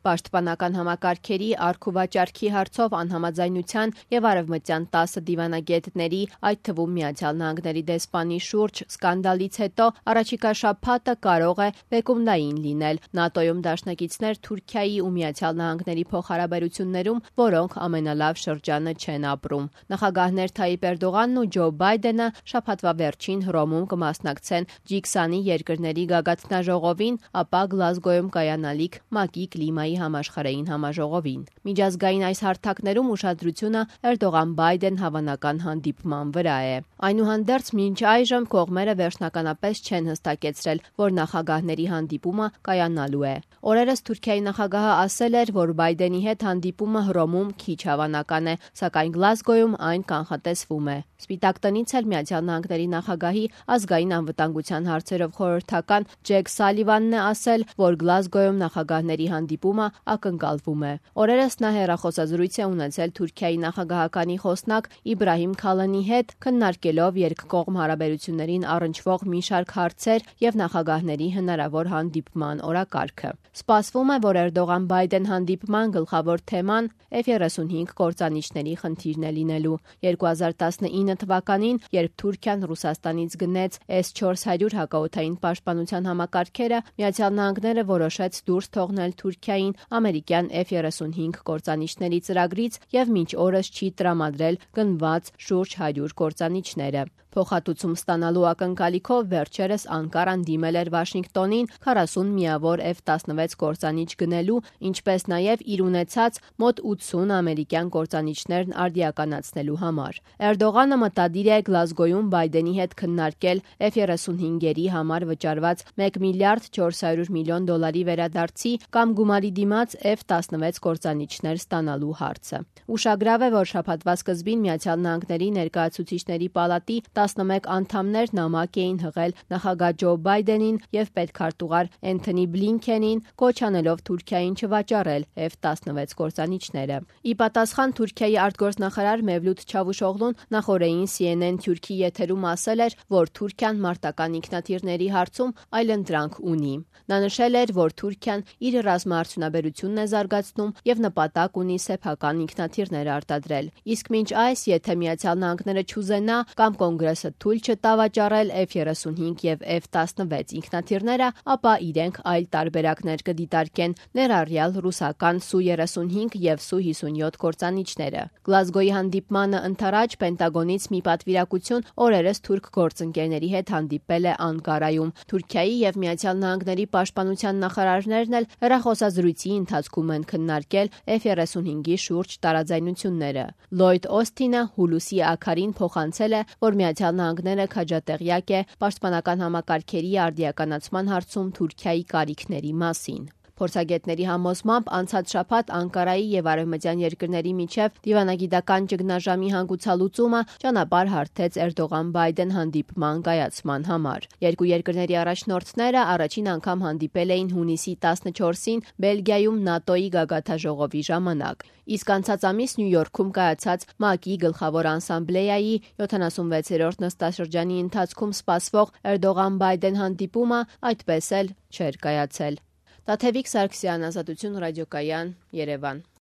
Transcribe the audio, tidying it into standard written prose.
Պաշտպանական համակարգերի առք-ու-վաճառքի հարցով անհամաձայնության և արևմտյան 10 դիվանագետների, այդ թվում ԱՄՆ դեսպանի շուրջ սկանդալից հետո առաջիկա շաբաթը կարող է բեկումնային լինել ՆԱՏՕ-ում դաշնակիցներ Թուրքիայի ու ԱՄՆ փոխհարաբերություններում, որոնք ամենալավ շրջանը չեն ապրում։ Նախագահներ Թայիպ Էրդողանն ու Ջո Բայդենը շաբաթվա վերջին Հռոմում կմասնակցեն G20 երկրների գագաթնաժողովին, ապա Գլազգոյում կայանալիք ՄԱԿ-ի կլիմայի համաշխարհային համաժողովին։ Միջազգային այս հարթակներում ուշադրությունը Էրդողան-Բայդեն հավանական հանդիպման վրա է։ Այնուհանդերձ մինչ այժմ կողմերը վերջնականապես չեն հստակեցրել, որ նախագահների հանդիպումը կայանալու է։ Օրերս Թուրքիայի նախագահը ասել էր, որ Բայդենի հետ հանդիպումը Հռոմում քիչ հավանական է, սակայն Գլազգոյում այն կանխատեսվում է։ Սպիտակ տնից էլ ԱՄՆ նախագահի ազգային անվտանգության հարցերով խորհրդական Ջեք Սալիվանն է ասել, որ Գլազգոյում նախագահների հանդիպումը ակնկալվում է։ Օրերս նա հեռախոսազրույց է ունեցել Թուրքիայի նախագահականի խոսնակ Իբրահիմ Քալանի հետ, քննարկելով երկկողմ հարաբերություններին առնչվող մի շարք հարցեր և նախագահների հնարավոր հանդիպման օրակարգը։ Սպասվում է, որ Էրդողան-Բայդեն հանդիպման գլխավոր թեման F-35 կործանիչների խնդիրն է լինելու։ 2019 թվականին, երբ Թուրքիան Ռուսաստանից գնեց S-400 հակաօդային պաշտպանության համակարգերը, ԱՄՆ-ը որոշեց դուրս թողնել Թուրքիային ամերիկյան F-35 կործանիչների ծրագրից և մինչ օրս չի տրամադրել գնված շուրջ 100 կործանիչները։ Փոխհատուցում ստանալու ակնկալիքով վերջերս Անկարան դիմել էր Վաշինգտոնին 40 միավոր F-16 կործանիչ գնելու, ինչպես նաև իր ունեցած մոտ 80 ամերիկյան կործանիչներն արդիականացնելու համար։ Էրդողանը մտադիր է Գլազգոյում Բայդենի հետ քննարկել F-35-երի համար վճարված $1 միլիարդ 400 միլիոն վերադարձի կամ գումարի դիմաց F-16 կործանիչներ ստանալու հարցը։ Ուշագրավ է, որ շաբաթվա սկզբին ԱՄՆ ներկայացուցիչների պալատի 11 անդամներ նամակ էին հղել նախագահ Ջո Բայդենին և պետքարտուղար Էնթոնի Բլինքենին, կոչ անելով Թուրքիային չվաճառել F-16 կործանիչները։ Ի պատասխան Թուրքիայի արտգործնախարար Մևլութ Չավուշօղլուն նախօրեին CNN Թուրքի եթերում ասել էր, որ Թուրքիան մարտական ինքնաթիռների հարցում այլընտրանք ունի։ Նա նշել էր, որ Թուրքիան իր ռազմաարդյունաբերությունն է զարգացնում և նպատակ ունի սեփական ինքնաթիռներ արտադրել։ Իսկ մինչ այս, եթե ԱՄՆ-ը չուզենա կամ Կոնգրեսը թույլ չտա վաճառել F-35 և F-16 ինքնաթիռները, ապա իրենք այլ տարբերակներ կդիտարկեն, ներառյալ ռուսական Su-35 և Su-57 կործանիչները։ Գլազգոյի հանդիպմանը ընդառաջ Պենտագոնից մի պատվիրակություն օրերս թուրք գործընկերների հետ հանդիպել է Անկարայում։ Թուրքիայի և ԱՄՆ պաշտպանության նախարարներն էլ հեռախոսազրույցի ընթացքում են քննարկել F-35-ի շուրջ տարաձայնությունները։ Լլոյդ Օսթինը հուլիսի աքարին փոխանցել է, որ ԱՄՆ-ը քաջատեղյակ է պաշտպանական համակարգերի արդիականացման հարցում Թուրքիայի կարիքների մասին։ Փորձագետների համոզմամբ անցած շաբաթ Անկարայի և արևմտյան երկրների միջև դիվանագիտական ճգնաժամի հանգուցալուծումը ճանապարհ հարթեց Էրդողան-Բայդեն հանդիպման կայացման համար։ Երկու երկրների առաջնորդները առաջին անգամ հանդիպել էին հունիսի 14-ին Բելգիայում ՆԱՏՕ-ի գագաթնաժողովի ժամանակ։ Իսկ անցած ամիս Նյու Յորքում կայացած ՄԱԿ-ի գլխավոր ասամբլեայի 76-րդ նստաշրջանի ընթացքում սպասվող Էրդողան-Բայդեն հանդիպումը այդպես էլ չէր կայացել։ Տաթևիկ Սարգսյան, Ազատություն ռադիոկայան, Երևան։